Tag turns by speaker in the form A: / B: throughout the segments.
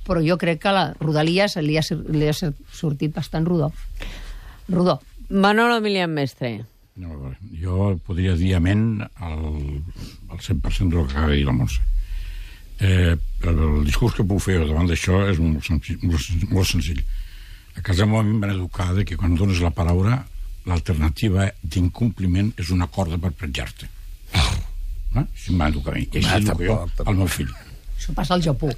A: però jo crec que a la Rodalies li ha sortit bastant rodó.
B: Manolo Emilián Mestre.
C: No, jo podria dir amén al 100% del que acaba de dir la Montse. El discurs que puc fer davant d'això és molt senzill. A casa meva a mi em van educar que quan dones la paraula l'alternativa d'incompliment és una corda per penjar-te. Així em van educar a mi. I així educo jo al meu fill.
A: Això passa al Japó.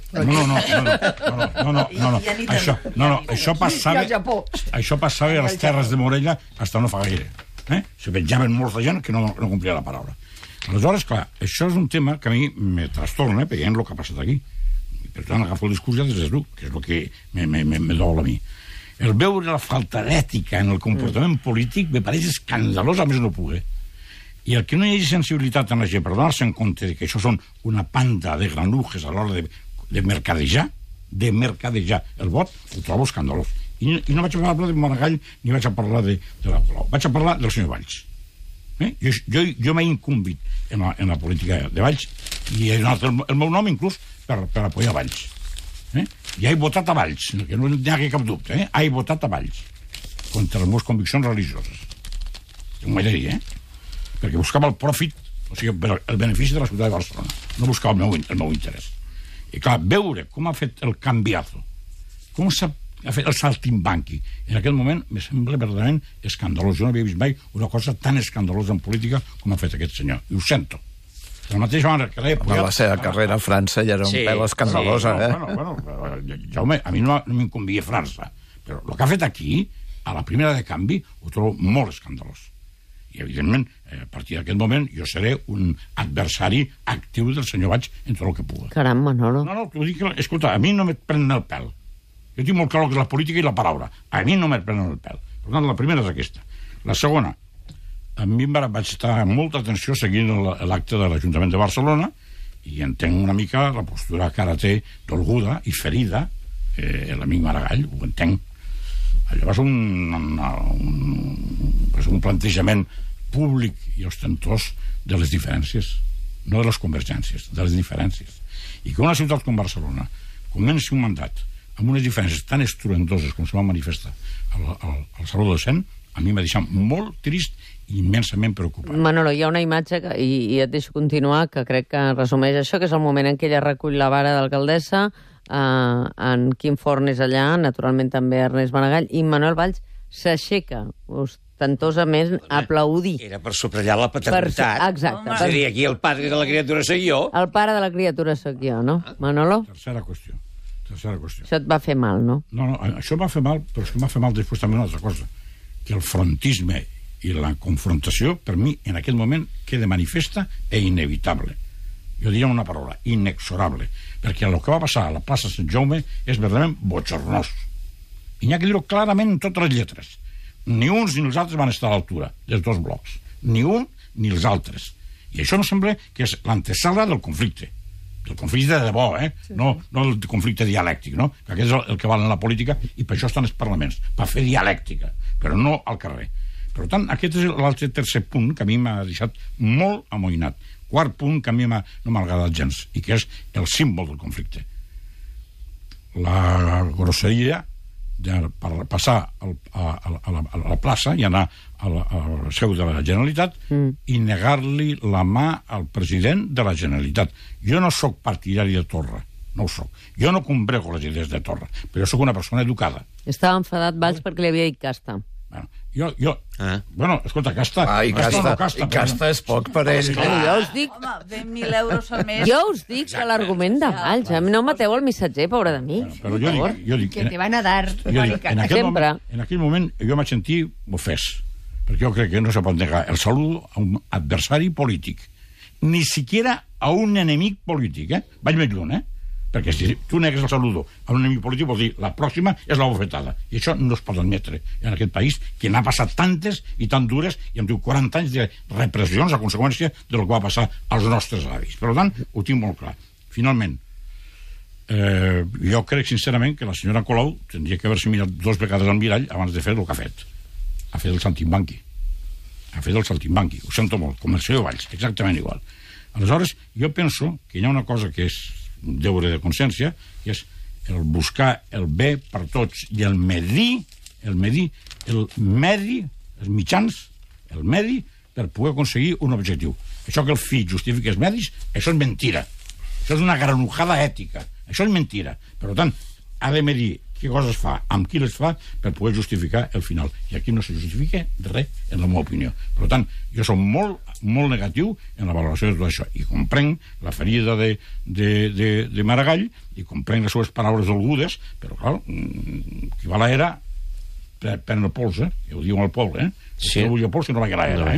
C: Això passava a les terres de Morella fins no fa gaire. Se penjaven molta gent que no complia la paraula. Aleshores, clar, això és un tema que a mi me trastorna, veient el que ha passat aquí. Per tant, agafo el discurs ja des de tu, que és el que me dol a mi. El veure la falta d'ètica en el comportament polític me pareix escandalós, a més no pugui. I el que no hi hagi sensibilitat en la gent per donar-se en compte que això són una panda de granujes a l'hora de mercadejar el vot, ho trobo escandalós. I no vaig a parlar de Maragall ni vaig a parlar de la Colau. Vaig a parlar del senyor Valls. Jo m'he incumbit en la política de Valls i he donat el meu nom inclús per apoyar Valls. I he votat a Valls, que no hi ha cap dubte. He votat a Valls contra les meves conviccions religioses. Ho he de dir, perquè buscava el profit, o sigui, el benefici de la ciutat de Barcelona. No buscava el meu interès. I clar, veure com ha fet el canviazo, com ha fet el saltimbanqui, en aquell moment me sembla verdaderament escandalós. Jo no havia vist mai una cosa tan escandalosa en política com ha fet aquest senyor, i ho sento. De la mateixa manera que l'he apoyat...
D: La seva carrera a França ja era un pèl escandalosa,
C: Jaume, a mi no m'inconvia França, però el que ha fet aquí, a la primera de canvi, ho trobo molt escandalós. I, evidentment, a partir d'aquest moment, jo seré un adversari actiu del senyor Valls en tot el que pugui.
B: Caram, Manolo.
C: No, t'ho dic, escolta, a mi no me prenen el pèl. Jo tinc molt clar que és la política i la paraula. A mi no me prenen el pèl. Per tant, la primera és aquesta. La segona, a mi vaig estar amb molta atenció seguint l'acte de l'Ajuntament de Barcelona i entenc una mica la postura que ara té dolguda i ferida l'amic Maragall, ho entenc. Allò va ser un plantejament públic i ostentós de les diferències, no de les convergències, de les diferències. I que una ciutat com Barcelona comenci un mandat amb unes diferències tan estruendoses com se van manifestar al Saló del Cent, a mi m'ha deixat molt trist i immensament preocupat.
B: Manolo, hi ha una imatge, i et deixo continuar, que crec que resumeix això, que és el moment en què ella recull la vara d'alcaldessa, en Quim Forn és allà, naturalment també Ernest Maragall, i Manuel Valls s'aixeca ostentosament a aplaudir.
E: Era per subratllar la paternitat.
B: Exacte.
E: És a dir, aquí el pare de la criatura soc jo.
B: El pare de la criatura soc jo, no? Manolo?
C: Tercera qüestió.
B: Això et va fer mal, no?
C: No, això va fer mal, però és que m'ha fet mal després també una altra cosa, que el frontisme i la confrontació, per mi, en aquest moment, queda manifesta e inevitable. Jo diria una paraula, inexorable, perquè el que va passar a la plaça Sant Jaume és verdaderament bochornós. I n'hi ha que dir-ho clarament en totes les lletres. Ni uns ni els altres van estar a l'altura dels dos blocs. Ni un ni els altres. I això em sembla que és l'antesala del conflicte. El conflicte de debò, no el conflicte dialèctic, no? Que aquest és el que val en la política i per això estan els parlaments, per fer dialèctica, però no al carrer. Per tant, aquest és l'altre tercer punt que a mi m'ha deixat molt amoïnat. Quart punt que a mi no m'ha agradat gens, i que és el símbol del conflicte. La grosseria de passar a la plaça i anar a la seu de la Generalitat i negar-li la mà al president de la Generalitat. Jo no sóc partidari de Torra, no ho sóc. Jo no combrego les idees de Torra, però jo sóc una persona educada.
B: Estava enfadat Valls perquè li havia dit casta.
C: Bueno, escolta, casta...
D: I casta és poc per ell.
B: Jo us dic...
F: Home, 20.000 euros al mes...
B: Jo us dic que l'argument de Valls... A mi no mateu el missatger, pobre de mi.
C: Però jo dic...
A: Que te van a dar...
C: En aquell moment jo vaig sentir ofès, perquè jo crec que no se pot negar el saludo a un adversari polític, ni siquiera a un enemic polític, Vaig més lluny, perquè si tu negues el saludo a un enemic polític vol dir la pròxima és la bofetada, i això no es pot admetre en aquest país, que n'ha passat tantes i tan dures, i em diu 40 anys de repressions a conseqüència del que va passar als nostres avis. Per tant, ho tinc molt clar. Finalment, jo crec sincerament que la senyora Colau tindria que haver-se mirat 2 vegades al mirall abans de fer el que ha fet. Ha fet el saltimbanqui. Ho sento molt, com el senyor Valls, exactament igual. Aleshores, jo penso que hi ha una cosa que és un deure de consciència, que és el buscar el bé per tots i el medi, els mitjans, el medi, per poder aconseguir un objectiu. Això que el fi justifiqui els medis, això és mentira. Això és una granujada ètica. Això és mentira. Per tant, ha de medir què coses fa, amb qui les fa, per poder justificar el final. I aquí no se justifica res, en la meva opinió. Per tant, jo soc molt, molt negatiu en la valoració de tot això. I comprenc la ferida de Maragall, i comprenc les seves paraules dolgudes, però, clar, qui va a l'era pren el pols, ho diuen al poble, Si no vull el pols, que no vagi a l'era,